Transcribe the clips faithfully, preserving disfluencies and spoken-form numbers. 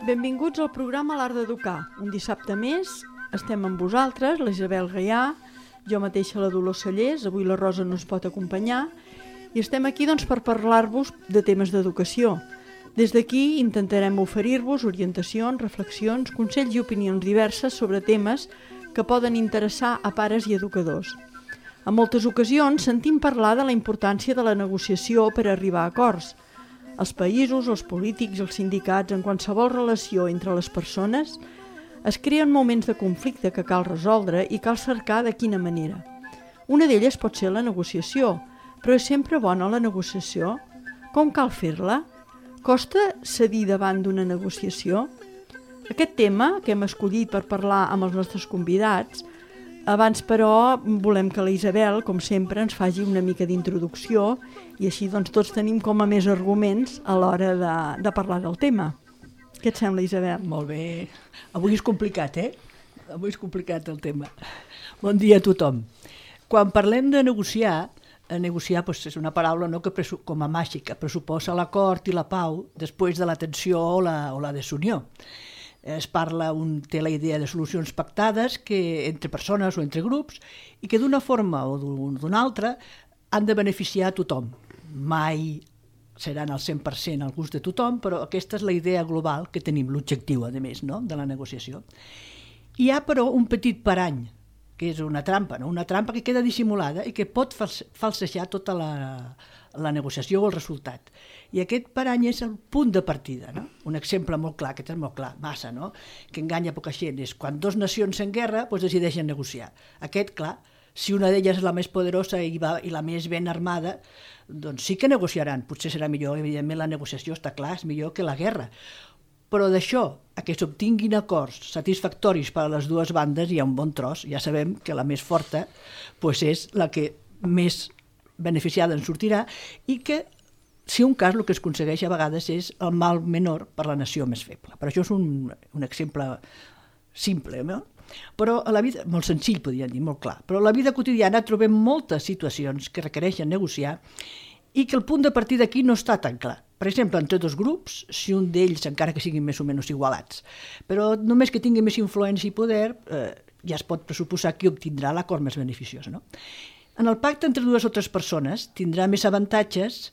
Benvinguts al programa L'Art d'Educar. Un dissabte més estem amb vosaltres, la Isabel Gaià, jo mateixa la Dolors Cellers, avui la Rosa no ens pot acompanyar, i estem aquí doncs, per parlar-vos de temes d'educació. Des d'aquí intentarem oferir-vos orientacions, reflexions, consells i opinions diverses sobre temes que poden interessar a pares i educadors. En moltes ocasions sentim parlar de la importància de la negociació per arribar a acords. Els països, els polítics, els sindicats, en qualsevol relació entre les persones, es creen moments de conflicte que cal resoldre i cal cercar de quina manera. Una d'elles pot ser la negociació, però és sempre bona la negociació? Com cal fer-la? Costa cedir davant d'una negociació? Aquest tema que hem escollit per parlar amb els nostres convidats, abans però volem que la Isabel, com sempre, ens faci una mica d'introducció i així doncs tots tenim com a més arguments a l'hora de, de parlar del tema. Què et sembla, Isabel? Molt bé. Avui és complicat, eh? Avui és complicat el tema. Bon dia a tothom. Quan parlem de negociar, negociar doncs, és una paraula no, que presu- com a màgica pressuposa l'acord i la pau després de la tensió o la, o la desunió. Es parla, un té la idea de solucions pactades que entre persones o entre grups i que d'una forma o d'una altra han de beneficiar a tothom. Mai seran al cent per cent al gust de tothom, però aquesta és la idea global que tenim, l'objectiu, a més, no? de la negociació. Hi ha, però, un petit parany, que és una trampa, no? una trampa que queda dissimulada i que pot falsejar tota la, la negociació o el resultat. I aquest parany és el punt de partida. No? Un exemple molt clar, aquest és molt clar, massa, no? que enganya poca gent, és quan dues nacions en guerra doncs decideixen negociar. Aquest, clar, si una d'elles és la més poderosa i, va, i la més ben armada, doncs sí que negociaran. Potser serà millor, evidentment la negociació està clar, és millor que la guerra. Però d'això, a que s'obtinguin acords satisfactoris per a les dues bandes, hi ha un bon tros. Ja sabem que la més forta doncs és la que més beneficiada en sortirà i que, si un cas, el que es aconsegueix a vegades és el mal menor per la nació més feble. Per això és un, un exemple simple, no? Però a la vida, molt senzill, podríem dir, molt clar, però a la vida quotidiana trobem moltes situacions que requereixen negociar i que el punt de partida aquí no està tan clar. Per exemple, entre dos grups, si un d'ells, encara que siguin més o menys igualats, però només que tingui més influència i poder, eh, ja es pot pressuposar qui obtindrà l'acord més beneficiós. No? En el pacte entre dues o tres persones tindrà més avantatges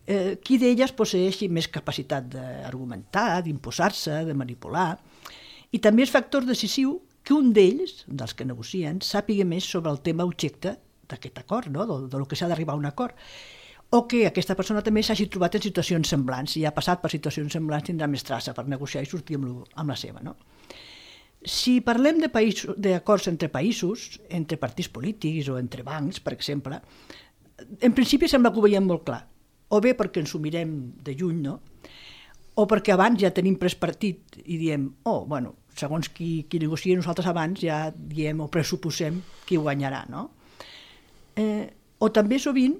eh, qui d'elles posseeixi més capacitat d'argumentar, d'imposar-se, de manipular, i també és factor decisiu que un d'ells, dels que negocien, sàpiga més sobre el tema objecte d'aquest acord, no? de, de lo que s'ha d'arribar a un acord, o que aquesta persona també s'hagi trobat en situacions semblants, si ha passat per situacions semblants tindrà més traça per negociar i sortir amb, lo, amb la seva. No? Si parlem de països, d'acords entre països, entre partits polítics o entre bancs, per exemple, en principi sembla que ho veiem molt clar, o bé perquè ens ho mirem de lluny, no? O perquè abans ja tenim pres partit i diem, oh, bueno, segons qui, qui negocia, nosaltres abans ja diem o pressuposem qui guanyarà, no? Eh, o també sovint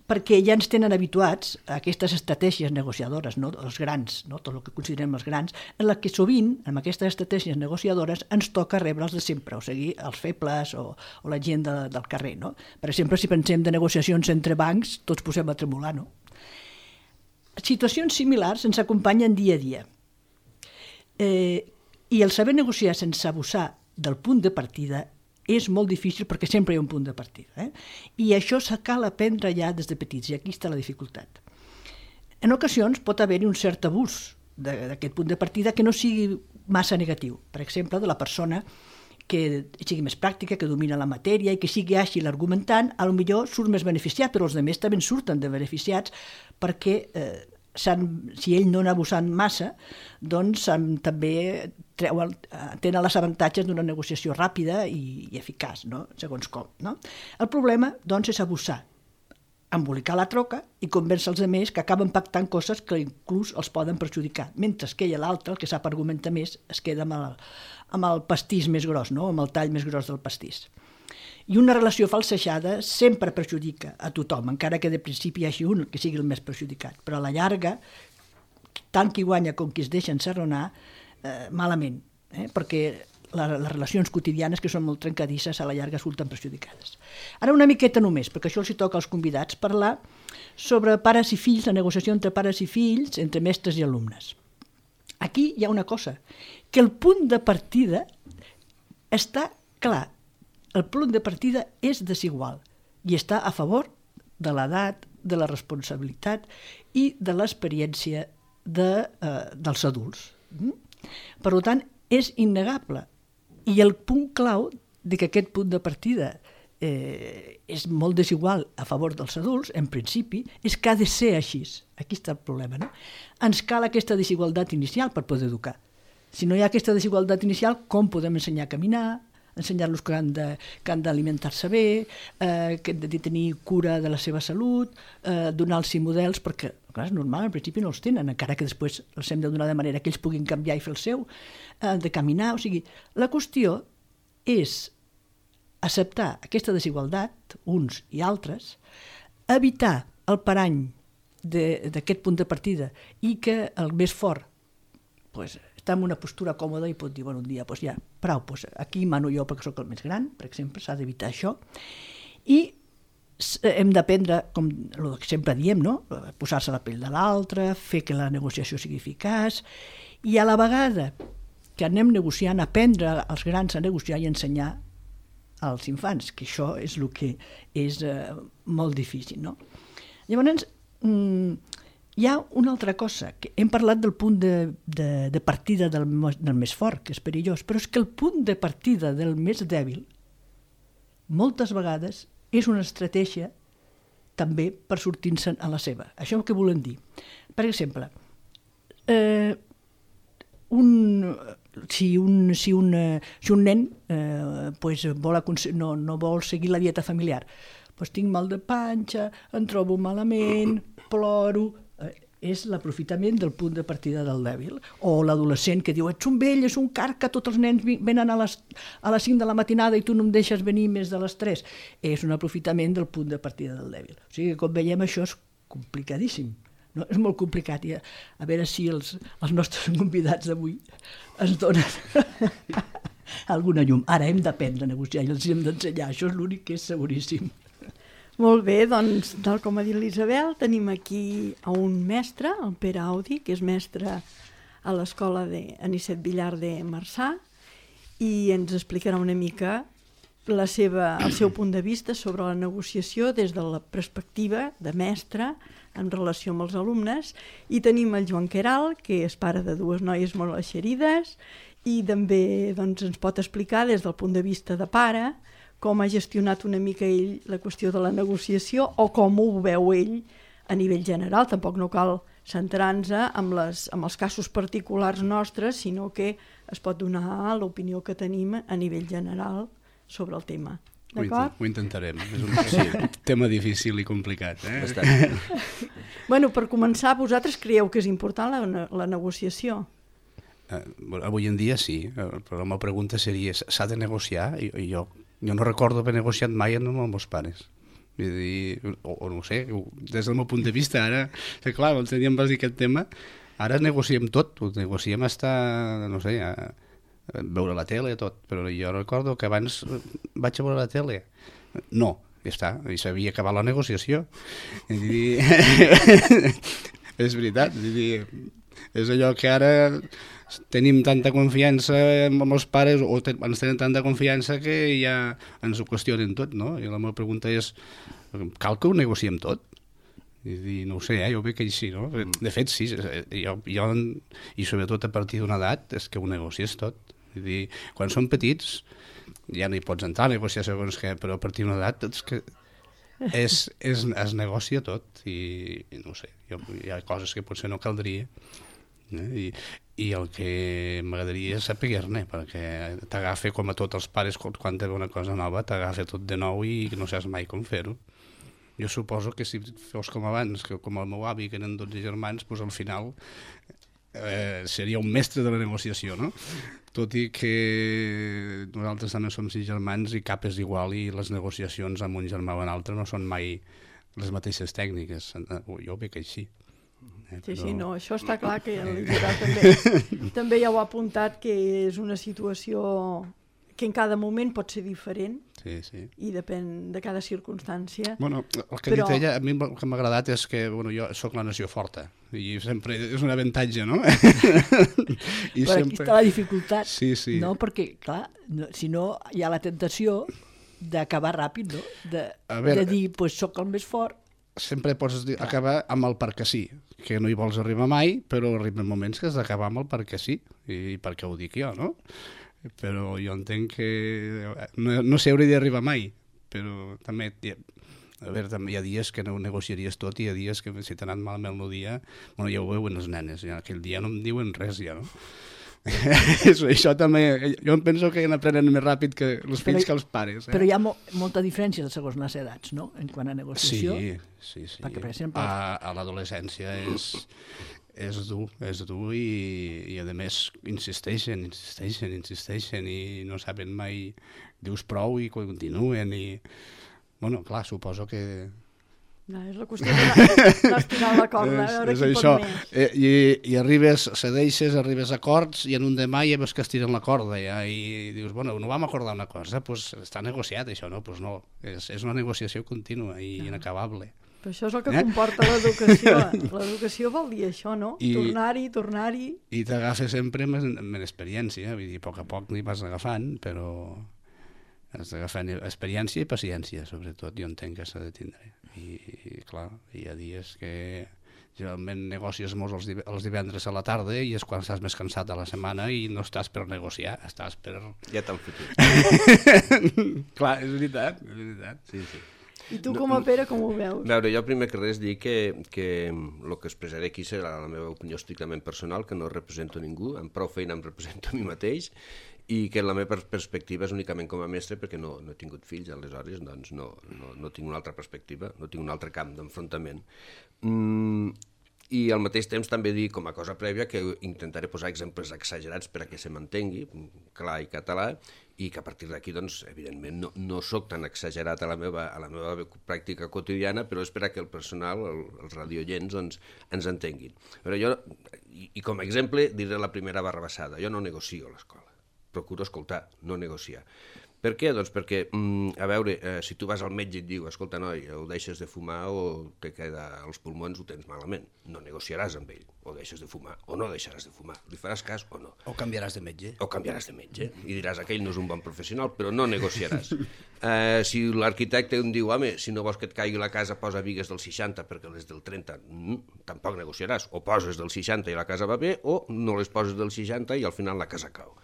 perquè ja ens tenen habituats a aquestes estratègies negociadores, no? Els grans, no? Tot el que considerem els grans, en la que sovint, amb aquestes estratègies negociadores, ens toca rebre els de sempre, o sigui, els febles o, o la gent de, del carrer. No? Per exemple, si pensem de negociacions entre bancs, tots posem a tremolar, no? Situacions similars ens acompanyen dia a dia. Eh, I el saber negociar sense abusar del punt de partida és molt difícil perquè sempre hi ha un punt de partida. Eh? I això se cal aprendre ja des de petits, i aquí està la dificultat. En ocasions pot haver-hi un cert abús d'aquest punt de partida que no sigui massa negatiu. Per exemple, de la persona que sigui més pràctica, que domina la matèria i que sigui àgil argumentant, potser surt més beneficiat, però els altres també surten de beneficiats perquè eh, si ell no n'ha abusat massa, doncs també treuen, tenen els avantatges d'una negociació ràpida i, i eficaç, no? Segons com. No? El problema doncs, és abusar, embolicar la troca i convèncer els altres que acaben pactant coses que inclús els poden perjudicar, mentre que ell, l'altre, el que sap argumentar més, es queda amb el, amb el pastís més gros, no? Amb el tall més gros del pastís. I una relació falsejada sempre perjudica a tothom, encara que de principi hi hagi un que sigui el més perjudicat. Però a la llarga, tant qui guanya com qui es deixa encerronar, eh, malament, eh? perquè la, les relacions quotidianes, que són molt trencadisses, a la llarga surten perjudicades. Ara una miqueta només, perquè això els hi toca als convidats, parlar sobre pares i fills, la negociació entre pares i fills, entre mestres i alumnes. Aquí hi ha una cosa, que el punt de partida està clar. El punt de partida és desigual i està a favor de l'edat, de la responsabilitat i de l'experiència de, eh, dels adults. Mm? Per tant, és innegable. I el punt clau de que aquest punt de partida eh, és molt desigual a favor dels adults, en principi, és que ha de ser així. Aquí està el problema, no? Ens cal aquesta desigualtat inicial per poder educar. Si no hi ha aquesta desigualtat inicial, com podem ensenyar a caminar, ensenyar-los que han de, que han d'alimentar-se bé, eh, que han de tenir cura de la seva salut, eh, donar-los models, perquè clar, és normal, al principi no els tenen, encara que després els hem de donar de manera que ells puguin canviar i fer el seu, eh, de caminar, o sigui, la qüestió és acceptar aquesta desigualtat, uns i altres, evitar el parany d'aquest punt de partida i que el més fort pues, està en una postura còmoda i pot dir, bueno, un dia, pues ja, prou, pues aquí mano jo perquè sóc el més gran, per exemple, s'ha d'evitar això. I hem d'aprendre, com el que sempre diem, no? Posar-se a la pell de l'altre, fer que la negociació sigui eficaç, i a la vegada que anem negociant, aprendre als grans a negociar i ensenyar als infants, que això és el que és eh, molt difícil, no? Llavors, mm, hi ha una altra cosa, que hem parlat del punt de, de, de partida del, del més fort, que és perillós, però és que el punt de partida del més dèbil moltes vegades és una estratègia també per sortir-se'n a la seva. Això què volem dir? Per exemple, eh, un, si, un, si, un, si un nen eh, pues vol, no, no vol seguir la dieta familiar, pues tinc mal de panxa, em trobo malament, ploro, és l'aprofitament del punt de partida del dèbil. O l'adolescent que diu, ets un vell, és un carca, tots els nens venen a les, a les cinc de la matinada i tu no em deixes venir més de les tres. És un aprofitament del punt de partida del dèbil. O sigui que, com veiem, això és complicadíssim. No? És molt complicat. I a, a veure si els, els nostres convidats d'avui ens donen alguna llum. Ara hem d'aprendre a negociar i els hem d'ensenyar. Això és l'únic que és seguríssim. Molt bé, doncs, tal com ha dit l'Isabel, tenim aquí a un mestre, el Pere Audi, que és mestre a l'escola d'Anicet Villar de Marçà, i ens explicarà una mica la seva, el seu punt de vista sobre la negociació des de la perspectiva de mestre en relació amb els alumnes. I tenim el Joan Queralt, que és pare de dues noies molt eixerides, i també doncs, ens pot explicar des del punt de vista de pare com ha gestionat una mica ell la qüestió de la negociació o com ho veu ell a nivell general. Tampoc no cal centrar-nos amb, les, amb els casos particulars nostres, sinó que es pot donar l'opinió que tenim a nivell general sobre el tema. D'acord? Ho intentarem. És un sí, tema difícil i complicat. Eh? Bueno, per començar, vosaltres creieu que és important la, la negociació? Eh, avui en dia sí, però la meva pregunta seria, s'ha de negociar? I, i jo Jo no recordo haver negociat mai amb els meus pares. Vull dir, o, o no sé, des del meu punt de vista, ara, que clar, el teníem vas dir aquest tema, ara negociem tot, ho negociem hasta, no sé, a, a veure la tele, tot, però jo recordo que abans vaig a veure la tele. No, ja està, i s'havia acabat la negociació. I dir, és veritat, i dir, és allò que ara tenim tanta confiança amb els pares o ten, ens tenen tanta confiança que ja ens ho qüestionen tot, no? I la meva pregunta és, cal que ho negociem tot? I dir, no ho sé, eh? Jo veig que així, no? De fet, sí, jo, jo, i sobretot a partir d'una edat és que ho negocies tot. I dir, quan som petits ja no hi pots entrar a negociar segons què, però a partir d'una edat és que és, és, es negocia tot i, i no ho sé, jo, hi ha coses que potser no caldria. Eh? I, i el que m'agradaria és saber-ne, perquè t'agafa com a tots els pares quan té una cosa nova, t'agafa tot de nou i no saps mai com fer-ho. Jo suposo que si fos com abans, que com el meu avi, que eren dotze germans, doncs al final eh, seria un mestre de la negociació, no? Tot i que nosaltres també som sis germans i cap és igual i les negociacions amb un germà o un altre no són mai les mateixes tècniques. Jo ho veig així. Eh, sí, però... sí, no, això està clar que l'Isidre també, també ja ho ha apuntat, que és una situació que en cada moment pot ser diferent, sí, sí. I depèn de cada circumstància. Bueno, el que però... ha dit ella, a mi el que m'ha agradat és que bueno, jo sóc la nació forta, i sempre és un avantatge, no? I però sempre... aquí està la dificultat, sí, sí. No? Perquè, clar, no, si no hi ha la tentació d'acabar ràpid, no? De, veure, de dir, doncs pues, sóc el més fort. Sempre pots dir, acabar amb el perquè sí, que no hi vols arribar mai, però arriben moments que has d'acabar amb el perquè sí, i perquè ho dic jo, no? Però jo entenc que no, no s'hi hauria d'arribar mai, però també, a veure, també hi ha dies que no ho negociaries tot i hi ha dies que si t'ha anat malament el dia, bueno, ja ho veuen els nenes, ja, aquell dia no em diuen res ja, no? Això també, jo em penso que n'aprenen més ràpid que els fills però, que els pares. Eh? Però hi ha mo molta diferència segons les edats, no?, en quant a negociació. Sí, sí, sí. Perquè, per exemple... A, a l'adolescència és, és dur, és dur i, i a més insisteixen, insisteixen, insisteixen i no saben mai, dius prou i continuen i... Bueno, clar, suposo que... No, és la qüestió d'anar estirant la corda, a veure qui pot més. Eh, i, I arribes, cedeixes, arribes a acords i en un demà ja veus que estiren la corda ja, i dius, bueno, no vam acordar una cosa, pues està negociat això, no? Pues no, és, és una negociació contínua i no. Inacabable. Però això és el que eh? comporta l'educació. L'educació vol dir això, no? Tornar-hi, tornar-hi... I t'agafes sempre amb, amb experiència, vull dir, a poc a poc n'hi vas agafant, però has d'agafar experiència i paciència, sobretot, jo entenc que s'ha de tindre. I, i clar, hi ha dies que generalment negocies molt els, div els divendres a la tarda i és quan estàs més cansat a la setmana i no estàs per negociar, estàs per... Ja t'han fotut. Clar, és veritat, és veritat. Sí, sí. I tu com a Pere com ho veus? A veure, jo primer que res dic que, que el que expressaré aquí serà la meva opinió estrictament personal, que no represento ningú, amb prou feina em represento a mi mateix, i que la meva perspectiva és únicament com a mestre perquè no, no he tingut fills, aleshores doncs no, no, no tinc una altra perspectiva, no tinc un altre camp d'enfrontament. Mm, I al mateix temps també dir com a cosa prèvia que intentaré posar exemples exagerats per a que se m'entengui, clar i català, i que a partir d'aquí, doncs, evidentment, no, no sóc tan exagerat a la, meva, a la meva pràctica quotidiana, però és per a que el personal, el, els radioients, doncs, ens entenguin. Però jo, i, i com a exemple, diré la primera barrabassada. Jo no negocio a l'escola. Procuro escoltar, no negociar. Per què? Doncs perquè, mm, a veure, eh, si tu vas al metge i et diu, escolta, noi, o deixes de fumar o te queda als pulmons, ho tens malament. No negociaràs amb ell. O deixes de fumar o no deixaràs de fumar. Li faràs cas o no. O canviaràs de metge. O canviaràs de metge. I diràs, aquell no és un bon professional, però no negociaràs. Eh, si l'arquitecte em diu, home, si no vols que et caigui la casa, posa bigues del seixanta perquè les del trenta, mm, tampoc negociaràs. O poses del seixanta i la casa va bé, o no les poses del seixanta i al final la casa cau.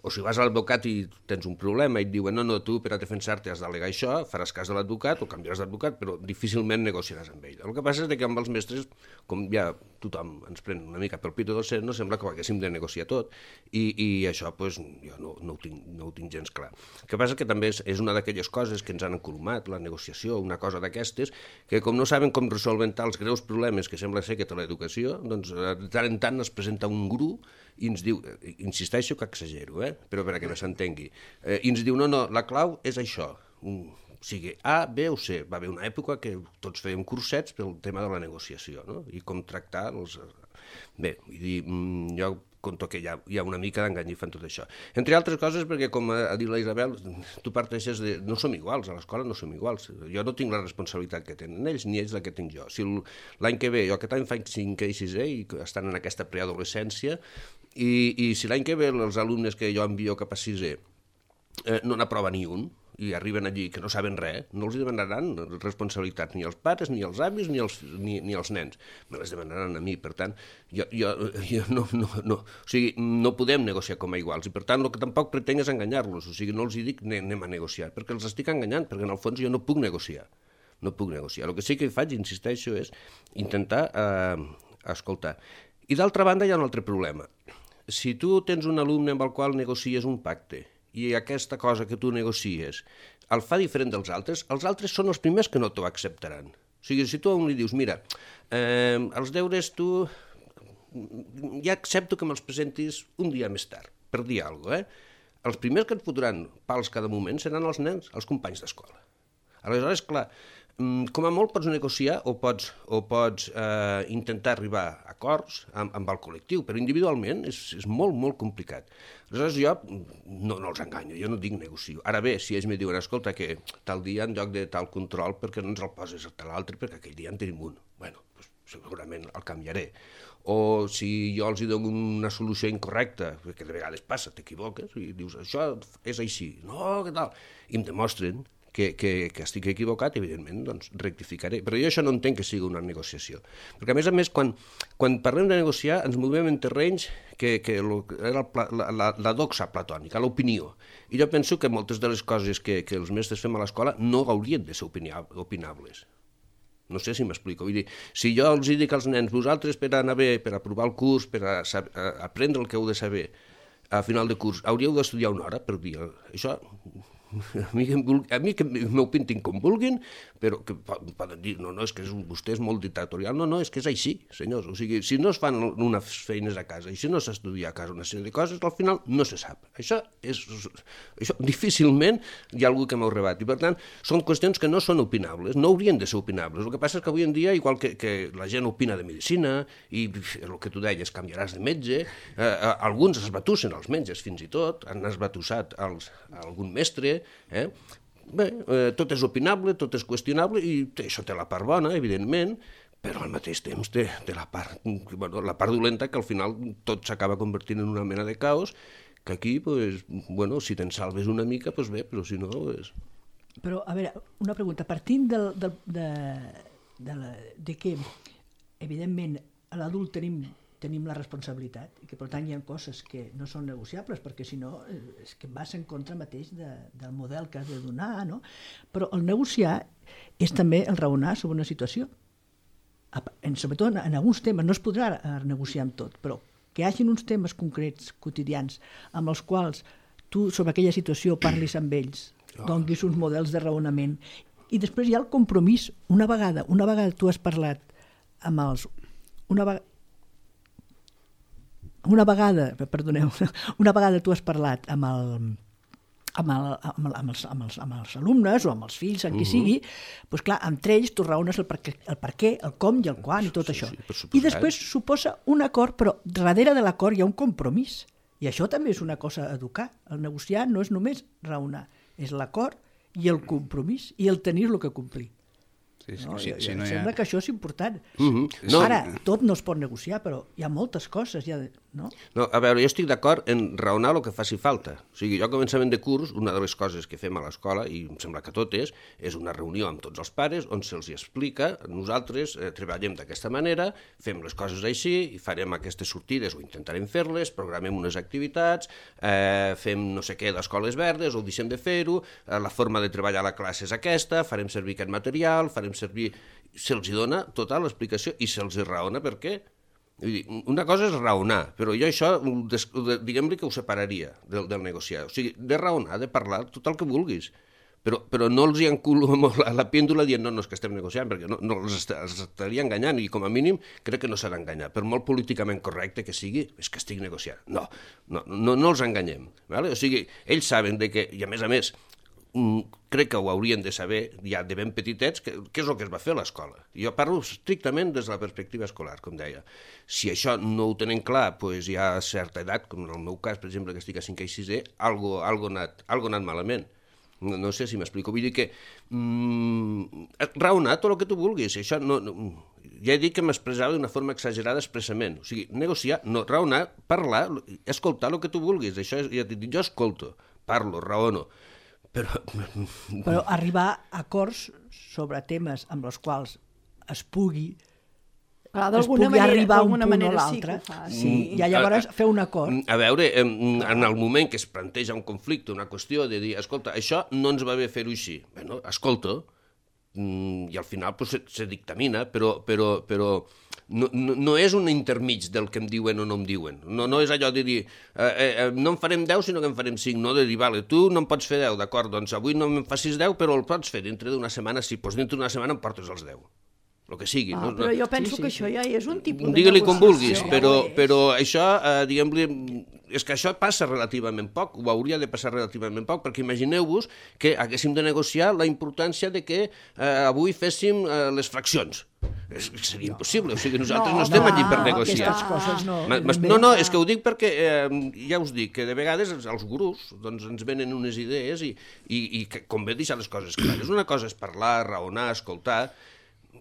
O si vas a l'advocat i tens un problema i et diuen no, no, tu per a defensar-te has d'al·legar això, faràs cas de l'advocat o canviaràs d'advocat, però difícilment negociaràs amb ell. El que passa és que amb els mestres, com ja tothom ens pren una mica pel pito del cert, no sembla que ho haguéssim de negociar tot, i, i això pues, jo no, no, ho tinc, no ho tinc gens clar. El que passa que també és, és una d'aquelles coses que ens han encolomat, la negociació, una cosa d'aquestes, que com no saben com resolventar els greus problemes que sembla ser que té l'educació, doncs de tant en tant es presenta un guru i ens diu, insisteixo que exagero, eh? Però per a que no s'entengui, eh, i ens diu, no, no, la clau és això, un, o sigui, A, B o C. Va haver una època que tots fèiem cursets pel tema de la negociació, no? I com tractar els... Bé, vull dir, jo conto que hi ha, hi ha una mica d'engany i fan tot això. Entre altres coses perquè, com ha dit la Isabel, tu parteixes de... No som iguals, a l'escola no som iguals. Jo no tinc la responsabilitat que tenen ells, ni ells la que tinc jo. Si l'any que ve, jo aquest any faig cinquè i sisè i estan en aquesta preadolescència, i, i si l'any que ve els alumnes que jo envio cap a sisè eh, no n'aprova ni un, i arriben allí que no saben res, no els demanaran responsabilitats ni els pares, ni els avis, ni els, ni, ni els nens. Me les demanaran a mi, per tant, jo, jo, jo no, no, no, o sigui, no podem negociar com a iguals, i per tant el que tampoc pretenc és enganyar-los, o sigui, no els dic anem a negociar, perquè els estic enganyant, perquè en el fons jo no puc negociar, no puc negociar. El que sí que faig, insisteixo, és intentar eh, escoltar. I d'altra banda hi ha un altre problema. Si tu tens un alumne amb el qual negocies un pacte, i aquesta cosa que tu negocies el fa diferent dels altres, els altres són els primers que no t'ho acceptaran. O sigui, si tu a un li dius, mira, eh, els deures tu ja accepto que me'ls presentis un dia més tard, per dir alguna cosa, eh? Els primers que et fotran pals cada moment seran els nens, els companys d'escola. Aleshores, clar, com a molt pots negociar o pots, o pots eh, intentar arribar a acords amb, amb el col·lectiu, però individualment és, és molt, molt complicat. Aleshores jo no, no els enganyo, jo no dic negocio. Ara bé, si ells me diuen, escolta, que tal dia en lloc de tal control perquè no ens el poses a tal altre, perquè aquell dia en tenim un. Bueno, doncs segurament el canviaré. O si jo els dono una solució incorrecta, perquè de vegades passa, t'equivoques, i dius, això és així, no, què tal? I em demostren que, que, que estic equivocat, evidentment, doncs rectificaré. Però jo això no entenc que sigui una negociació. Perquè, a més a més, quan, quan parlem de negociar, ens movem en terrenys que, que lo, era el, la, la, la doxa platònica, l'opinió. I jo penso que moltes de les coses que, que els mestres fem a l'escola no haurien de ser opinables. No sé si m'explico. Vull dir, si jo els dic als nens, vosaltres per anar bé, per aprovar el curs, per a, a, a aprendre el que heu de saber, a final de curs, hauríeu d'estudiar una hora per dia. Això, a mi, a mi que m'ho pintin com vulguin, però que poden dir, no, no, és que és, vostè és molt dictatorial. No, no, és que és així, senyors. O sigui, si no es fan unes feines a casa i si no s'estudia a casa una sèrie de coses, al final no se sap. Això és... Això difícilment hi ha algú que m'ho rebati. I, per tant, són qüestions que no són opinables, no haurien de ser opinables. El que passa és que avui en dia, igual que, que la gent opina de medicina, i el que tu deies, canviaràs de metge, eh, alguns es batussen, els metges fins i tot, han esbatussat els, algun mestre. Eh? Bé, eh, tot és opinable, tot és qüestionable i això té la part bona, evidentment, però al mateix temps té, té la, part, bueno, la part dolenta que al final tot s'acaba convertint en una mena de caos que aquí, pues, bueno, si te'n salves una mica, pues bé, però si no... Pues... Però, a veure, una pregunta. Partint del, del, de, de, la, de que, evidentment, a l'adult tenim tenim la responsabilitat i que per tant hi ha coses que no són negociables perquè si no és que vas en contra mateix de, del model que has de donar, no? Però el negociar és també el raonar sobre una situació. En, sobretot en, en alguns temes, no es podrà negociar amb tot, però que hi hagi uns temes concrets, quotidians, amb els quals tu sobre aquella situació parlis amb ells, donis uns models de raonament i després hi ha el compromís. Una vegada, una vegada tu has parlat amb els... Una vegada, Una vegada, perdoneu, una vegada tu has parlat amb, el, amb, el, amb, el, amb, els, amb, els, amb els alumnes o amb els fills, amb qui sigui, doncs clar, entre ells tu raones el per, el per què, el com i el quan i tot això. I després suposa un acord, però darrere de l'acord hi ha un compromís. I això també és una cosa a educar. El negociar no és només raonar, és l'acord i el compromís i el tenir-lo que complir. Sí, sí, no, sí, ja, sí, ja no sembla ha... que això és important. Mm-hmm. No. Ara, tot no es pot negociar, però hi ha moltes coses. Hi ha, no? No, a veure, jo estic d'acord en raonar el que faci falta. O sigui, jo a començament de curs, una de les coses que fem a l'escola, i em sembla que tot és, és una reunió amb tots els pares on se'ls explica, nosaltres eh, treballem d'aquesta manera, fem les coses així, i farem aquestes sortides o intentarem fer-les, programem unes activitats, eh, fem no sé què d'escoles verdes o deixem de fer-ho, eh, la forma de treballar a la classe és aquesta, farem servir aquest material, farem servir... Se'ls dona tota l'explicació i se'ls raona per què. Vull dir, una cosa és raonar, però jo això, diguem-li que ho separaria del, del negociar. O sigui, de raonar, de parlar, tot el que vulguis. Però, però no els hi enculo a la pèndula dient no, no, és que estem negociant, perquè no, no els, est els estaria enganyant i com a mínim crec que no s'ha d'enganyar. Per molt políticament correcte que sigui, és que estic negociant. No, no, no, no els enganyem. Vale? O sigui, ells saben de que, i a més a més, crec que ho haurien de saber ja de ben petitets què és el que es va fer a l'escola. Jo parlo estrictament des de la perspectiva escolar, com deia. Si això no ho tenen clar, doncs hi ha certa edat, com en el meu cas, per exemple, que estic a cinquè i sisè, algo, algo, anat, algo anat malament. No, no sé si m'explico. Vull dir que mm, raonar tot el que tu vulguis. Això no, no, ja he dit que m'expressava d'una forma exagerada expressament. O sigui, negociar, no, raonar, parlar, escoltar el que tu vulguis. Això és, ja t'he dit, jo escolto, parlo, raono. Però... però arribar a acords sobre temes amb els quals es pugui, ah, es pugui manera, arribar a un punt manera o l'altre, sí, sí, i llavors fer un acord. A veure, en el moment que es planteja un conflicte, una qüestió de dir, escolta, això no ens va bé fer-ho així. Bueno, escolta, i al final pues, se, se dictamina, però, però, però no, no, no és un intermig del que em diuen o no em diuen. No, no és allò de dir, eh, eh, no en farem deu, sinó que en farem cinc. No de dir, vale, tu no em pots fer deu, d'acord, doncs avui no em facis deu, però el pots fer dintre d'una setmana, sí, doncs dintre d'una setmana em portes els deu. el que sigui. Ah, no? però jo penso Sí, sí, que sí. això ja és un tipus de Digue-li com vulguis, negociació. però, Ja ho és. però això, eh, diguem-li, és que això passa relativament poc, ho hauria de passar relativament poc, perquè imagineu-vos que haguéssim de negociar la importància de que eh, avui féssim eh, les fraccions. És, seria impossible, o sigui, nosaltres no, No, no estem no, allí per no, negociar. Aquestes coses no. Ma- mas- No, no, és que ho dic perquè, eh, ja us dic, que de vegades els, els gurús doncs, ens venen unes idees i, i, i que convé deixar les coses clares. Una cosa és parlar, raonar, escoltar,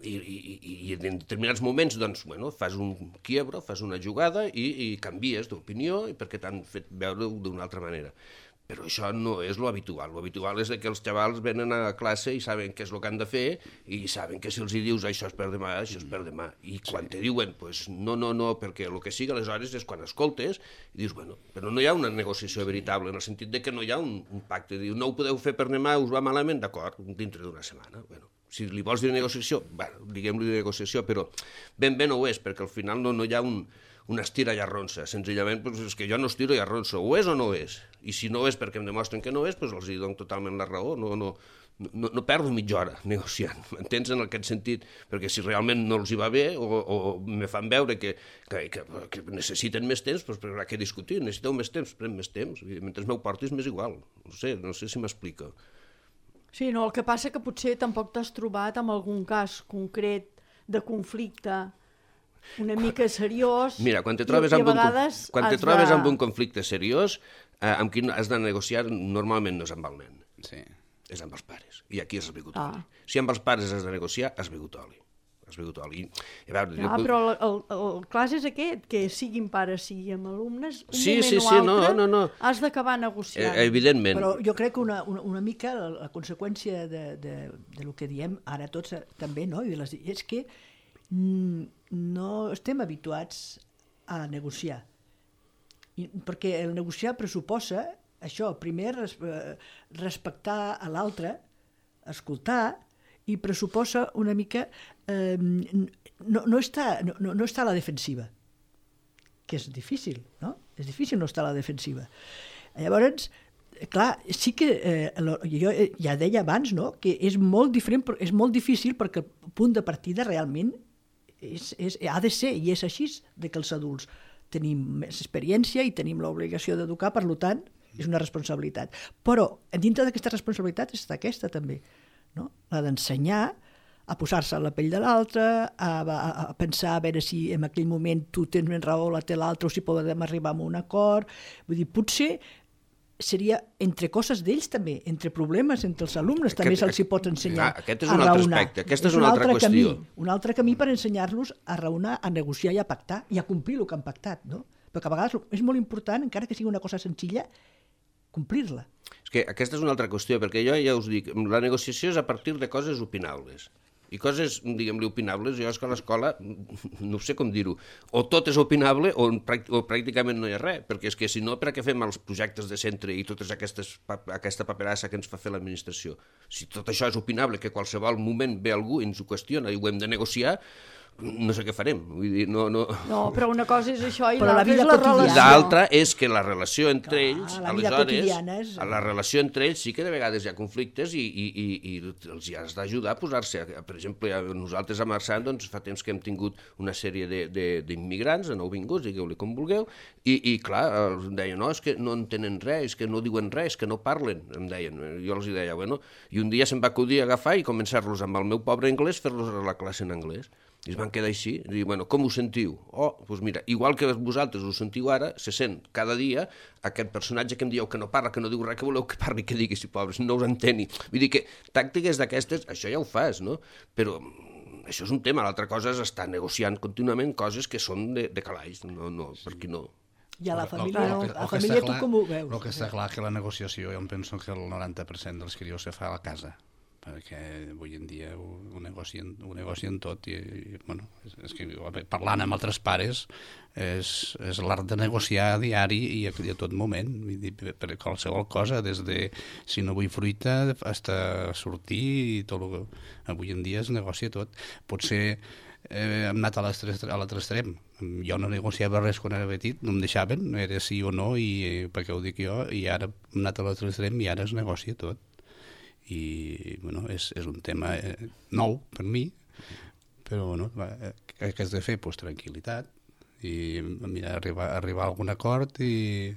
i, i, i en determinats moments doncs, bueno, fas un quiebro, fas una jugada i, i canvies d'opinió perquè t'han fet veure d'una altra manera. Però això no és lo habitual. Lo habitual és que els xavals venen a classe i saben què és el que han de fer i saben que si els hi dius això és per demà, això és per demà. I quan te diuen, pues, no, no, no, perquè el que sigui, aleshores és quan escoltes i dius, bueno, però no hi ha una negociació veritable, en el sentit de que no hi ha un, un pacte. Diu, no ho podeu fer per demà, us va malament, d'acord, dintre d'una setmana. Bueno, si li vols dir negociació, bueno, diguem-li negociació, però ben bé no ho és, perquè al final no, no hi ha un, una estira i arronsa. Senzillament, pues, és que jo no estiro i arronso. O és o no és? I si no és perquè em demostren que no és, pues els hi dono totalment la raó. No, no, no, no perdo mitja hora negociant, m'entens en aquest sentit? Perquè si realment no els hi va bé o, o me fan veure que, que, que, que necessiten més temps, doncs per què discutir? Necessiteu més temps, pren més temps. Mentre m'ho portis m'és igual. No sé, no sé si m'explico. Sí, no, el que passa que potser tampoc t'has trobat amb algun cas concret de conflicte una mica seriós. Mira, quan te trobes, amb un, quan te trobes de... amb un conflicte seriós, eh, amb qui has de negociar normalment no és amb el nen, Sí. és amb els pares. I aquí has begut Ah. oli. Si amb els pares has de negociar, has begut oli. Has begut oli. I, a veure, Ah, jo... però el, el, el clar és aquest, que siguin pares, siguin alumnes, un Sí, moment sí, o sí, altre no, no, no. has d'acabar negociant. Eh, evidentment. Però jo crec que una, una, una mica la, la conseqüència de, de, de lo que diem ara tots eh, també, no? I les, és que mm, no estem habituats a negociar. I, perquè el negociar pressuposa això, primer res, eh, respectar a l'altre, escoltar, i pressuposa una mica eh, no, no, està, no, no està a la defensiva, que és difícil, no? És difícil no estar a la defensiva. Llavors, clar, sí que eh, jo ja deia abans, no?, que és molt diferent, és molt difícil perquè el punt de partida realment és, és, ha de ser, i és així, de que els adults tenim més experiència i tenim l'obligació d'educar, per tant, és una responsabilitat. Però dintre d'aquesta responsabilitat està aquesta també, no? La d'ensenyar a posar-se a la pell de l'altre, a, a, a pensar a veure si en aquell moment tu tens més raó, la té l'altre, o si podem arribar a un acord. Vull dir, potser seria entre coses d'ells també, entre problemes entre els alumnes, també se'ls hi pot ensenyar ah, aquest és a un altre raonar. aspecte, aquesta és una altra altre qüestió. Camí, un altre camí per ensenyar-los a raonar, a negociar i a pactar i a complir el que han pactat, no? Perquè a vegades és molt important, encara que sigui una cosa senzilla, complir-la. És que aquesta és una altra qüestió, perquè jo ja us dic, la negociació és a partir de coses opinables. I coses, diguem-li, opinables, jo és que a l'escola, no sé com dir-ho, o tot és opinable o, o pràcticament no hi ha res, perquè és que si no, per a què fem els projectes de centre i tota aquesta paperassa que ens fa fer l'administració? Si tot això és opinable, que a qualsevol moment ve algú i ens ho qüestiona i ho hem de negociar, no sé què farem. Vull dir, no, no... No, però una cosa és això i Però la l'altra vida és la quotidiana. relació. L'altra és que la relació entre Clar, ells, la vida aleshores, quotidiana és- la relació entre ells sí que de vegades hi ha conflictes i, i, i, i els hi has d'ajudar a posar-se. Per exemple, nosaltres a Marçant doncs, fa temps que hem tingut una sèrie d'immigrants, de, de nouvinguts, digueu-li com vulgueu, i, i clar, els deien, no, és que no entenen res, és que no diuen res, és que no parlen, em deien. Jo els deia, bueno, i un dia se'm va acudir a agafar i començar-los amb el meu pobre anglès, fer-los a la classe en anglès. I es van quedar així, i dir, bueno, com ho sentiu? Oh, doncs mira, igual que vosaltres ho sentiu ara, se sent cada dia aquest personatge que em dieu que no parla, que no diu res, que voleu que parli, que digui, si pobres, no us enteni. Vull dir que tàctiques d'aquestes, això ja ho fas, no? Però això és un tema, l'altra cosa és estar negociant contínuament coses que són de, de calaix, no, no, per qui no. I a la El- el- família, el que- la el que família està tu clar- com ho veus? El que està clar que la negociació, jo em penso que el noranta per cent dels crios se fa a la casa, perquè avui en dia ho, ho, negocien, ho negocien tot i, i bueno, és, és que parlant amb altres pares és, és l'art de negociar a diari i a, i a tot moment, vull dir, per, per qualsevol cosa, des de si no vull fruita fins a sortir i tot el que... Avui en dia es negocia tot. Potser eh, hem anat a l'altre extrem. Jo no negociava res quan era petit, no em deixaven, era sí o no, i eh, perquè ho dic jo, i ara hem anat a l'altre extrem i ara es negocia tot. I bueno, és, és un tema eh, nou per mi, però bueno, va, què has de fer? Pues tranquil·litat i mira, arribar, arribar a algun acord i,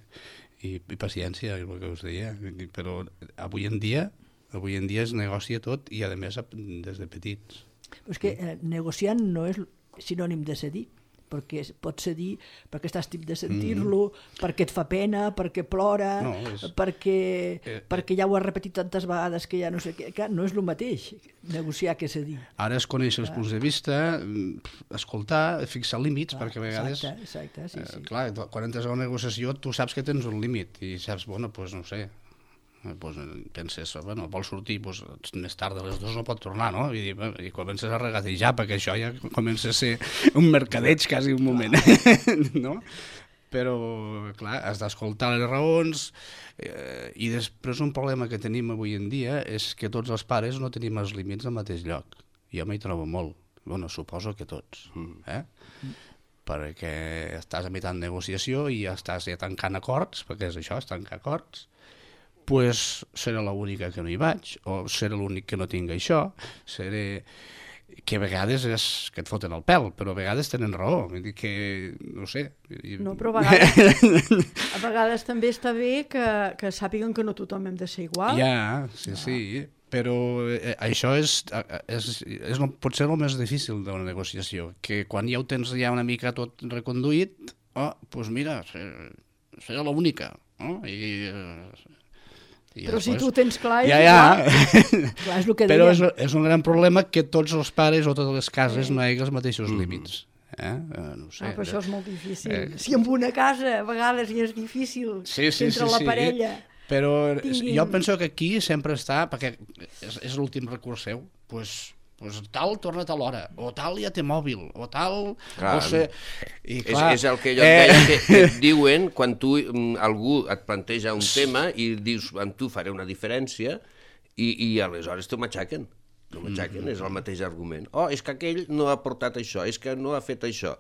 i, i paciència, és el que us deia, però avui en dia avui en dia es negocia tot i a més des de petits. Però és que eh, negociant no és sinònim de cedir, perquè pots cedir perquè estàs tip de sentir-lo, mm. perquè et fa pena, perquè plora, no, és... perquè, eh, perquè ja ho has repetit tantes vegades que ja no sé què. Clar, no és el mateix negociar que cedir. Ara es coneix els punts de vista, escoltar, fixar límits, clar, perquè a vegades... Exacte, exacte, sí, sí. Eh, clar, quan entres a una negociació tu saps que tens un límit i saps, bueno, doncs pues, no sé, pues, penses, bueno, vols sortir, pues, més tard de les dues no pot tornar, no? I, i comences a regatejar, perquè això ja comença a ser un mercadeig quasi un moment, no? Però, clar, has d'escoltar les raons eh, i després un problema que tenim avui en dia és que tots els pares no tenim els límits al mateix lloc. Jo m'hi trobo molt, bueno, suposo que tots, eh? Perquè estàs a mitjà de negociació i ja estàs ja tancant acords, perquè és això, és tancar acords, pues seré l'única que no hi vaig, o seré l'únic que no tinc això, seré... que a vegades és que et foten el pèl, però a vegades tenen raó, vull dir que, no sé... No, però a vegades, a vegades també està bé que, que sàpiguen que no tothom hem de ser igual. Ja, sí, sí, però eh, això és, és, és no, potser el més difícil d'una negociació, que quan ja ho tens ja una mica tot reconduït, oh, doncs mira, serà l'única, no? I... I però després, si tu tens clar és ja, ja. Clar, és el que però deia. és, és un gran problema que tots els pares o totes les cases no hi hagi els mateixos mm. límits. Eh? Uh, no sé. Ah, però això és molt difícil. Eh... Si en una casa a vegades ja és difícil, sí, sí, entre sí, la sí. parella... Però tinguin... jo penso que aquí sempre està, perquè és, és l'últim recurs seu, doncs... pues tal torna't a l'hora, o tal ja té mòbil, o tal... Clar, o sé, i clar, és, és el que jo et deia, eh... que, que et diuen quan tu, algú et planteja un tema i dius, amb tu faré una diferència, i, i aleshores t'ho matxaquen. T'ho matxaquen, mm. és el mateix argument. Oh, és que aquell no ha portat això, és que no ha fet això.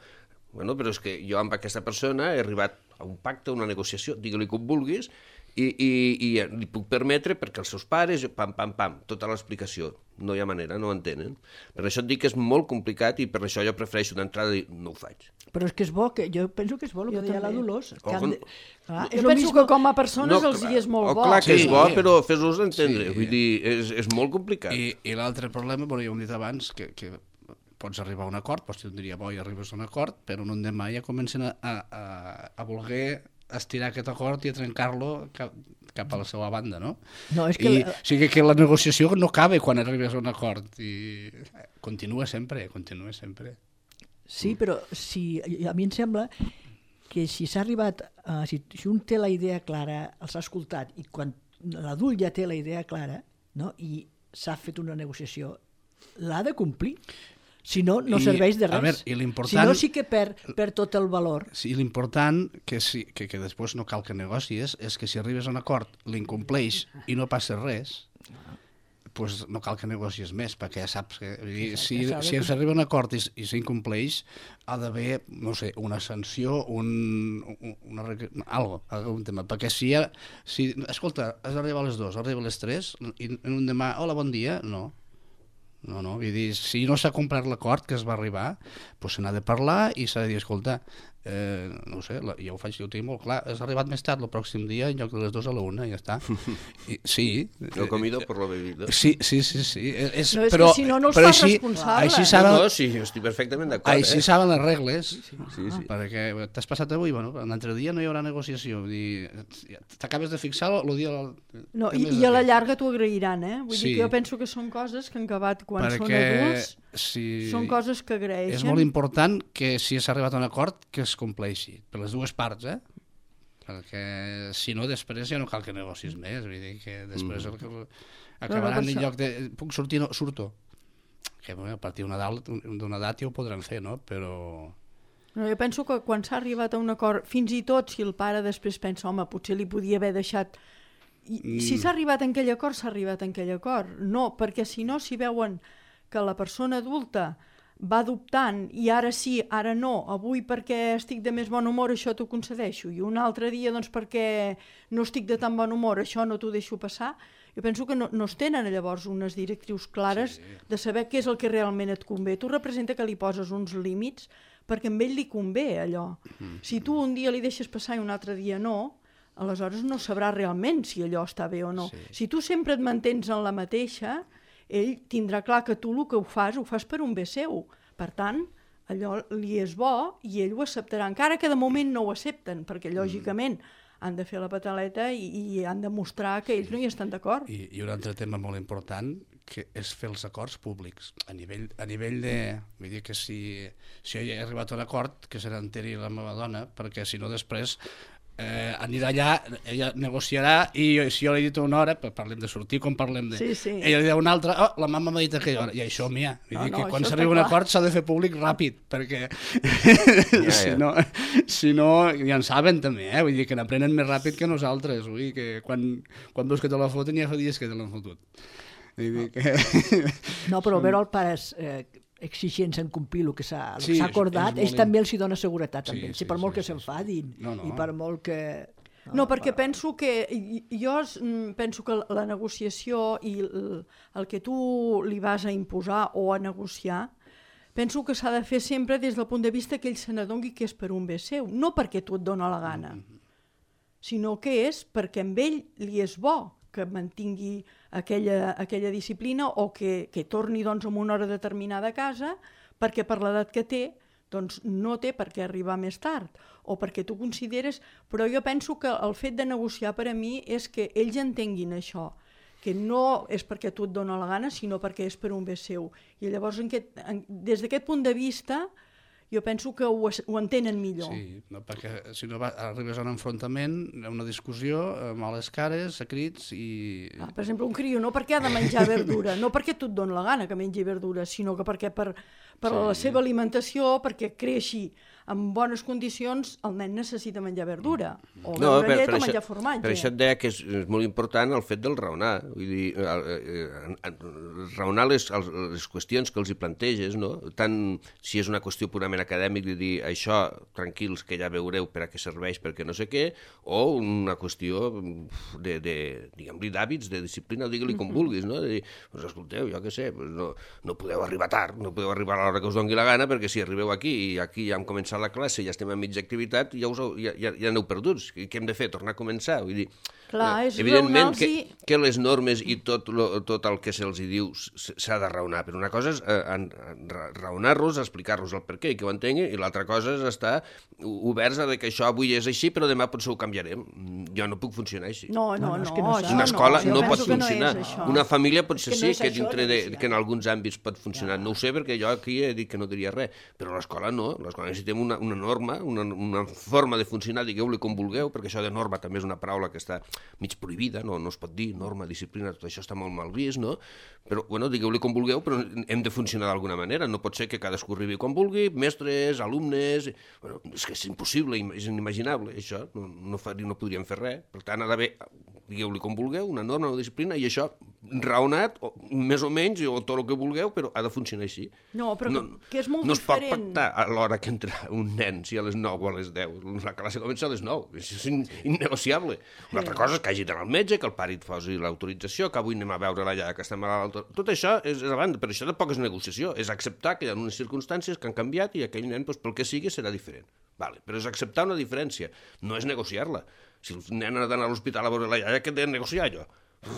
Bueno, però és que jo amb aquesta persona he arribat a un pacte, a una negociació, digue-li com vulguis, i, i, i li puc permetre perquè els seus pares, pam, pam, pam, tota l'explicació. No hi ha manera, no ho entenen. Per això et dic que és molt complicat i per això jo prefereixo d'entrada dir no ho faig. Però és que és bo, que jo penso que és bo el que deia la Dolors. Que oh, de... clar, jo penso mismo... que com a persones no, els hi és molt oh, bo. Clar que sí, és bo, però fes-los entendre. Sí. Vull dir, és, és molt complicat. I, i l'altre problema, bueno, ja ho hem dit abans, que, que pots arribar a un acord, pots dir un dia bo i arribes a un acord, però un demà ja comencen a, a, a voler estirar aquest acord i a trencar-lo cap, cap a la seva banda, no? No, és que... I, la... O sigui que la negociació no acaba quan arribes a un acord i continua sempre, continua sempre. Sí, però si, a mi em sembla que si s'ha arribat, uh, si, si un té la idea clara, els ha escoltat, i quan l'adult ja té la idea clara, no? I s'ha fet una negociació, l'ha de complir. Si no, no serveix de res. A veure, i l'important... Si no, sí que perd, perd tot el valor. Sí, l'important, que, sí, que, que després no cal que negocies, és que si arribes a un acord, l'incompleix i no passa res, pues no cal que negocies més, perquè ja saps que... Exacte, si si s'arriba a un acord i, i s'incompleix, ha d'haver, no sé, una sanció, un, una, algo, algun tema. Perquè si ja... Si, escolta, has d'arribar a les dues, arriba a les tres, i en un demà, hola, bon dia, no. No, no, vull dir, si no s'ha complert l'acord que es va arribar, doncs se n'ha de parlar i s'ha de dir, escolta, eh, no sé, la, ja ho faig, jo ho tinc molt clar, has arribat més tard el pròxim dia en lloc de les dues a la una, ja està. I, sí. El comido por la bebida. Sí, sí, sí, sí. És, no, és però, que si no, no els però fas així, responsables. Així saben, no, no, sí, estic perfectament d'acord. Així eh? saben les regles, sí, sí, sí. perquè t'has passat avui, bueno, l'altre dia no hi haurà negociació, vull dir, t'acabes de fixar el dia... No, i, i a la llarga t'ho agrairan, eh? Vull sí. dir que jo penso que són coses que han acabat quan perquè, són adults, si... són coses que agraeixen. És molt important que si s'ha arribat a un acord que es compleixi, per les dues parts, eh? Perquè si no després ja no cal que negocis més, vull dir que després mm. el, acabaran no, no, en lloc de... Puc sortir? No, surto. Que bueno, a partir d'una edat ja ho podran fer, no? Però... No, jo penso que quan s'ha arribat a un acord, fins i tot si el pare després pensa, home, potser li podia haver deixat... I, mm. Si s'ha arribat en aquell acord, s'ha arribat en aquell acord. No, perquè si no, si veuen que la persona adulta va dubtant i ara sí, ara no, avui perquè estic de més bon humor això t'ho concedeixo i un altre dia doncs perquè no estic de tan bon humor això no t'ho deixo passar, Jo penso que no, no es tenen llavors unes directrius clares sí. de saber què és el que realment et convé. Tu representa que li poses uns límits perquè a ell li convé allò. Mm. Si tu un dia li deixes passar i un altre dia no, aleshores no sabrà realment si allò està bé o no. Sí. Si tu sempre et mantens en la mateixa, ell tindrà clar que tu el que ho fas, ho fas per un bé seu. Per tant, allò li és bo i ell ho acceptarà, encara que de moment no ho accepten, perquè lògicament han de fer la pataleta i, i han de mostrar que ells no hi estan d'acord. I, I un altre tema molt important, que és fer els acords públics, a nivell, a nivell de... Vull dir que si, si jo he arribat a un acord, que se n'enteri la meva dona, perquè si no després eh, anirà allà, ella negociarà, i jo, si jo li he dit una hora, parlem de sortir com parlem de... Sí, sí. Ella li diu una altra, oh, la mama m'ha dit aquella hora, i això, mia, vull no, dir no, que quan s'arriba a un acord s'ha de fer públic ràpid, perquè ja, si, ja. no, si no, ja en saben també, eh? Vull dir que n'aprenen més ràpid que nosaltres, vull dir que quan, quan veus que te la foten ja fa dies que te l'han fotut. Vull dir que... No, però veure els pares eh, exigents en complir el que s'ha Sí, acordat, és- és ells molt també els hi dona seguretat, Sí, sí, sí, sí, per molt sí, que sí, s'enfadin No, no. i per molt que... No, perquè penso que jo mm, penso que la negociació i el, el que tu li vas a imposar o a negociar, penso que s'ha de fer sempre des del punt de vista que ell se n'adoni que és per un bé seu, no perquè tu et dona la gana, sinó que és perquè amb ell li és bo que mantingui aquella, aquella disciplina o que, que torni doncs, en una hora determinada a casa perquè per l'edat que té doncs no té per què arribar més tard o perquè tu consideres... Però jo penso que el fet de negociar per a mi és que ells entenguin això, que no és perquè tu et dona la gana, sinó perquè és per un bé seu. I llavors, en aquest, en, des d'aquest punt de vista, jo penso que ho, ho entenen millor. Sí, no, perquè si no va, arribes a un enfrontament, a una discussió, a males cares, a crits i... Ah, per exemple, un criu, no perquè ha de menjar verdura, no perquè tu et dona la gana que mengi verdura, sinó que perquè per, per Sí. la seva alimentació, perquè creixi en bones condicions, el nen necessita menjar verdura, o No, beure per, llet per, o menjar això, formatge. per això et deia que és, és molt important el fet del raonar. Vull dir, el, eh, eh, raonar les, les qüestions que els hi planteges, no? Tant si és una qüestió purament acadèmica, de dir això, tranquils, que ja veureu per a què serveix, perquè no sé què, o una qüestió de, de diguem-li, d'hàbits, de disciplina, digue-li com vulguis, no? De dir, pues, escolteu, jo què sé, pues no, no podeu arribar tard, no podeu arribar a l'hora que us doni la gana, perquè si arribeu aquí i aquí ja hem començat la classe, ja estem a mitja activitat, ja, us, ja, ja, ja aneu perduts. Què hem de fer? Tornar a començar? Vull dir, Clar, és evidentment que, raonar-los i- que les normes i tot, lo, tot el que se'ls hi diu s- s'ha de raonar, però una cosa és eh, en, en, ra- raonar-los, explicar-los el per què i que ho entenguin, i l'altra cosa és estar oberts a que això avui és així, però demà potser ho canviarem. Mm, Jo no puc funcionar així. No, no, No, no, no, és que no això s'ha- Una escola jo no, penso pot que no funcionar. és això. Una família potser És que no sí, és que, això, dintre de, negociar. que en alguns àmbits pot funcionar. No ho sé, perquè jo aquí he dit que no diria res, però l'escola no. L'escola necessitem una, una norma, una, una forma de funcionar, digueu-li com vulgueu, perquè això de norma també és una paraula que està mig prohibida, no, no es pot dir, norma, disciplina, tot això està molt mal vist, no? Però, bueno, digueu-li com vulgueu, però hem de funcionar d'alguna manera. No pot ser que cadascú arribi quan vulgui, mestres, alumnes... Bueno, és que és impossible, és inimaginable, això. No, no, fa, no podríem fer res. Per tant, ha d'haver, digueu-li com vulgueu, una norma, una disciplina, i això raonat, o, més o menys, o tot el que vulgueu, però ha de funcionar així. No, però no, que és molt no es pot diferent. pactar a l'hora que entra un nen, si a les nou o a les deu. La classe comença a les nou. Això és in, innegociable. Una altra cosa és que hagi d'anar al metge, que el pare et posi l'autorització, que avui anem a veure la iaia que està malalta. Tot això és a banda, però això tampoc és negociació. És acceptar que hi ha unes circumstàncies que han canviat i aquell nen, doncs, pel que sigui, serà diferent. Vale, però és acceptar una diferència, no és negociar-la. Si el nen ha d'anar a l'hospital a veure la iaia, què he de negociar jo?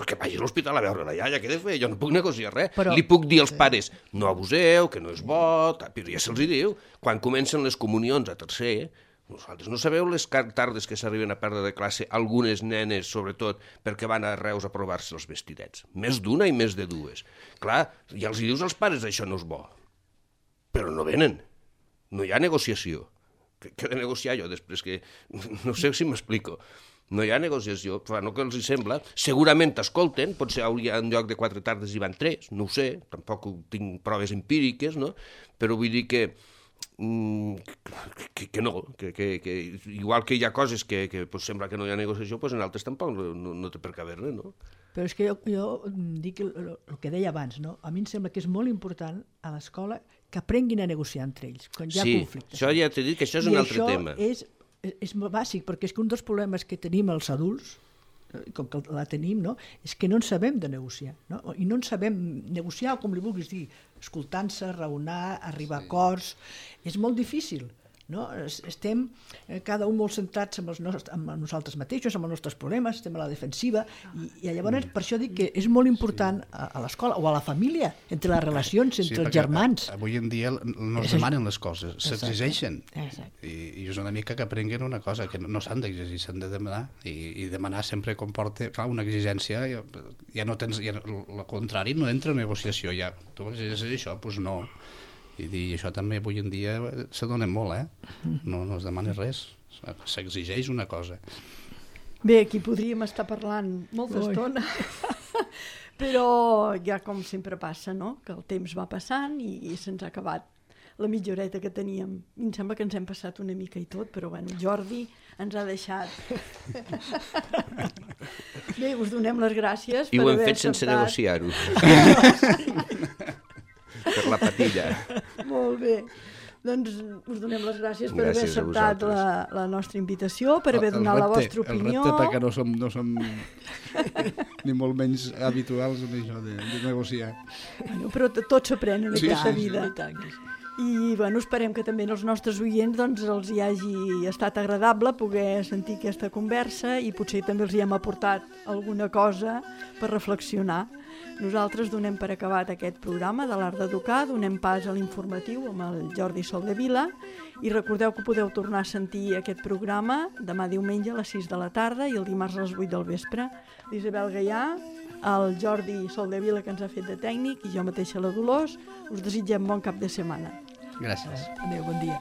Que vagi a l'hospital a veure la iaia, què he de fer? Jo no puc negociar res. Però... Li puc dir als pares, no abuseu, que no és bo, però ja se'ls hi diu. Quan comencen les comunions a tercer, vosaltres no sabeu les tardes que s'arriben a perdre de classe algunes nenes, sobretot, perquè van a Reus a provar-se els vestidets. Més d'una i més de dues. Clar, ja els hi dius als pares, això no és bo. Però no venen. No hi ha negociació. Què he de negociar jo després? Que... No sé si m'explico. No hi ha negociació, fa no que els hi sembla. Segurament t'escolten, potser hauria en lloc de quatre tardes hi van tres, no ho sé, tampoc tinc proves empíriques, no? Però vull dir que Que, que no, que, que, que igual que hi ha coses que, que pues, sembla que no hi ha negociació, pues en altres tampoc no, no, no té per què haver-ne, no? Però és que jo, jo dic el, el que deia abans, no? A mi em sembla que és molt important a l'escola que aprenguin a negociar entre ells, quan hi ha sí, conflictes. això ja t'he dit que això és I un altre això tema. És, és bàsic, perquè és que un dels problemes que tenim els adults com que la tenim, no? És que no en sabem de negociar, no? I no en sabem negociar, o com li vulguis dir, escoltant-se, raonar, arribar sí. a acords, és molt difícil. No? Estem eh, cada un molt centrats amb, els nostres, amb nosaltres mateixos, amb els nostres problemes, estem a la defensiva i, i llavors per això dic que és molt important a, a l'escola o a la família, entre les relacions, entre sí, els germans. Avui en dia no es demanen les coses, s'exigeixen i, i és una mica que aprenguin una cosa, que no, no s'han d'exigir, s'han de demanar i, i demanar sempre comporta, clar, una exigència, ja, ja no tens, ja, el contrari no entra en negociació, ja, tu exigeixes això, doncs no. I dir, això també avui en dia se dona molt, eh? No, no es demana res, s'exigeix una cosa. Bé, aquí podríem estar parlant molta estona, però ja com sempre passa, no? Que el temps va passant i, i se'ns ha acabat la mitja horeta que teníem. I em sembla que ens hem passat una mica i tot, però bueno, Jordi ens ha deixat. Bé, us donem les gràcies I per ho haver hem fet sense acceptat. negociar-ho. Per la patilla. Molt bé. Doncs us donem les gràcies per Gràcies haver acceptat la, la nostra invitació, per haver donat la vostra opinió. El repte perquè no som, no som ni molt menys habituals en això de, de negociar. Bueno, però tot s'aprèn en Sí, aquesta sí, sí. vida. I bueno, esperem que també als nostres oients doncs, els hi hagi estat agradable poder sentir aquesta conversa i potser també els hi hem aportat alguna cosa per reflexionar. Nosaltres donem per acabat aquest programa de l'Art d'Educar, donem pas a l'informatiu amb el Jordi Soldevila i recordeu que podeu tornar a sentir aquest programa demà diumenge a les sis de la tarda i el dimarts a les vuit del vespre. L'Isabel Gaià, el Jordi Soldevila que ens ha fet de tècnic i jo mateixa la Dolors, us desitgem bon cap de setmana. Gràcies. Adéu, bon dia.